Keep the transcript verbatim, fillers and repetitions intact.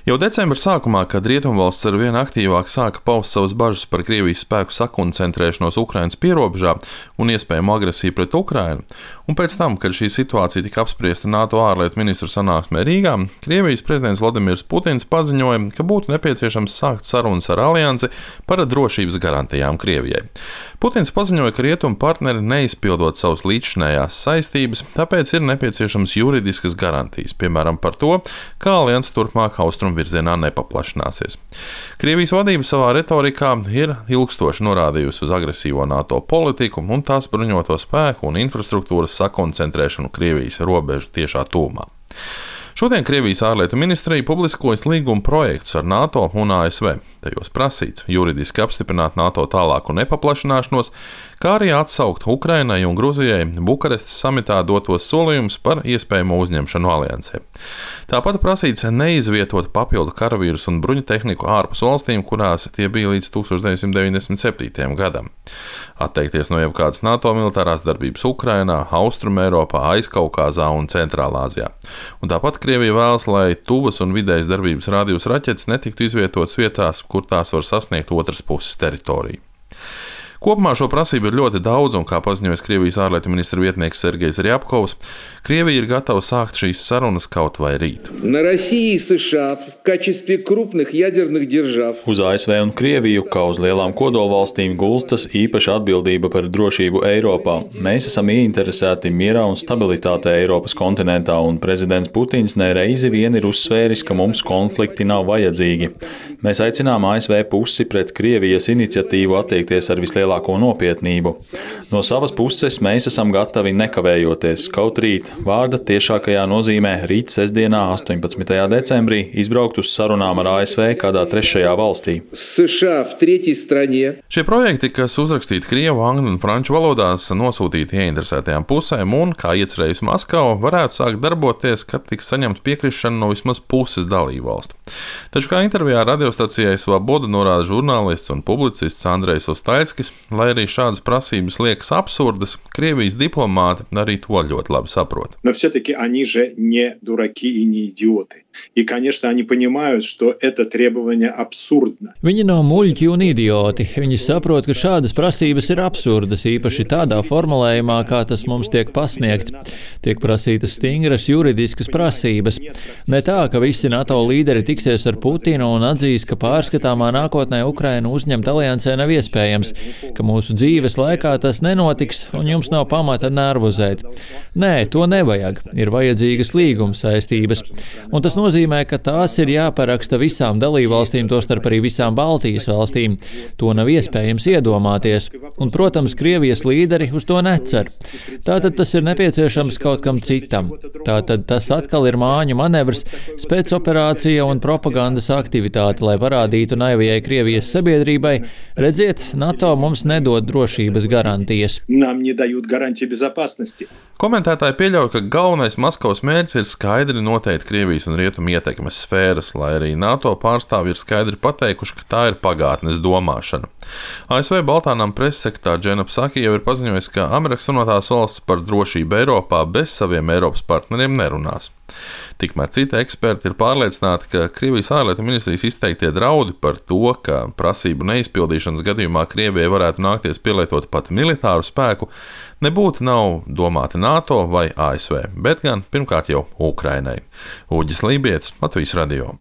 Jau decembra sākumā, kad Rietumvalsts ar vien aktīvāk sāka paust savas bažas par Krievijas spēku sakoncentrēšanos Ukrainas pierobežā un iespējamu agresiju pret Ukrainu, un pēc tam, kad šī situācija tika apspriesta NATO ārlietu ministru sanāksmē Rīgā, Krievijas prezidents Vladimirs Putins paziņoja, ka būtu nepieciešams sākt sarunas ar aliansi par drošības garantijām Krievijai. Putins paziņoja, ka rietumu partneri neizpildot savas līdzšinējās saistības, tāpēc ir nepieciešams juridiskas garantijas, piemēram par to, kā alianse turpmāk austrumu virzienā nepaplašināsies. Krievijas vadība savā retorikā ir ilgstoši norādījusi uz agresīvo NATO politiku un tās bruņoto spēku un infrastruktūras sakoncentrēšanu Krievijas robežu tiešā tūmā. Šodien Krievijas ārlietu ministrija publiskojas līguma projektus ar NATO un A S V. Tajos prasīts juridiski apstiprināt NATO tālāku nepaplašināšanos, kā arī atsaukt Ukrainai un Gruzijai Bukarestas samitā dotos solījumus par iespējamo uzņemšanu aliansē. Tāpat prasīts neizvietot papildu karavīrus un bruņu tehniku ārpus valstīm, kurās tie bija līdz tūkstoš deviņsimt deviņdesmit septītajam gadam. Atteikties no jebkādas NATO militārās darbības Ukrainā, Austrumeiropā, Aizkaukāzā un Centrālāzijā. Un tāpat Krievija vēlas, lai tuvas un vidējas darbības rādījus raķetes netiktu izvietotas vietās, kur tās var sasniegt otras puses teritoriju. Kopumā šo prasību ir ļoti daudz, un kā paziņojas Krievijas ārlietu ministra vietnieks Sergejs Rjapkovs, Krievija ir gatava sākt šīs sarunas kaut vai rīt. Uz A S V un Krieviju, kā uz lielām kodolvalstīm, gulstas īpaša atbildība par drošību Eiropā. Mēs esam ieinteresēti mierā un stabilitātē Eiropas kontinentā, un prezidents Putins nereizi vien ir uzsvēris, ka mums konflikti nav vajadzīgi. Mēs aicinām A S V pusi pret Krievijas iniciatīvu attiekties ar vislielāko nopietnību. No savas puses mēs esam gatavi nekavējoties, kaut rīt, vārda tiešākajā nozīmē rīt sestdienā, astoņpadsmitajā decembrī, izbraukt uz sarunām ar A S V kādā trešajā valstī. Šie projekti, kas uzrakstīti krievu, angļu un franču valodās, nosūtīti ieinteresētajām pusēm un, kā iecerējusi Maskava, varētu sākt darboties, kad tiks saņemta piekrišana no vismaz puses dalībvalstu. Taču kā intervijā radiostacijai Svaboda norāda žurnālists un publicists Andrejs Ostaļskis, lai arī šādas prasības liekas absurdas, Krievijas diplomāti arī to ļoti labi saprot. Но все-таки они же не дураки и не идиоты. И, конечно, они понимают, что это требование абсурдно. Viņi nav muļķi un idioti. Viņi saprot, ka šādas prasības ir absurdas, īpaši tādā formulējumā, kā tas mums tiek pasniegts. Tiek prasītas stingras juridiskas prasības. Ne tā, ka visi NATO līderi tiksies ar Putinu un atzīs, ka pārskatāmā nākotnē Ukrainu uzņemt aliansē nav iespējams, ka mūsu dzīves laikā tas nenotiks un jums nav pamata nervozēt. Nē, to nevajag. Ir vajadzīgas līguma saistības. Un tas nozīmē, ka tās ir jāparaksta visām dalībvalstīm, tostarp arī visām Baltijas valstīm. To nav iespējams iedomāties. Un, protams, Krievijas līderi uz to necer. Tātad tas ir nepieciešams kaut kam citam. Tātad tas atkal ir māņu manevrs, spēcoperācija un propagandas aktivitāte, lai parādītu naivajai Krievijas sabiedrībai, redziet, NATO mums nedod drošības garantijas. Нам не дают гарантии безопасности. Komentētāji pieļauj, ka galvenais Maskavas mērķis ir skaidri noteikt Krievijas un Rietumu ietekmes sfēras, lai arī NATO pārstāvji ir skaidri pateikuši, ka tā ir pagātnes domāšana. A S V Baltānam preses sekretārs Džena Psaki jau ir paziņojis, ka Amerikas Savienotās valstis par drošību Eiropā bez saviem Eiropas partneriem nerunās. Tikmēr citi eksperti ir pārliecināti, ka Krievijas ārlietu ministrijas izteiktie draudi par to, ka prasību neizpildīšanas gadījumā Krievijai varētu nākties pielietot pat militāru spēku, nebūtu nav domāti NATO vai A S V, bet gan pirmkārt jau Ukrainai. Uģis Lībietis, Latvijas radio.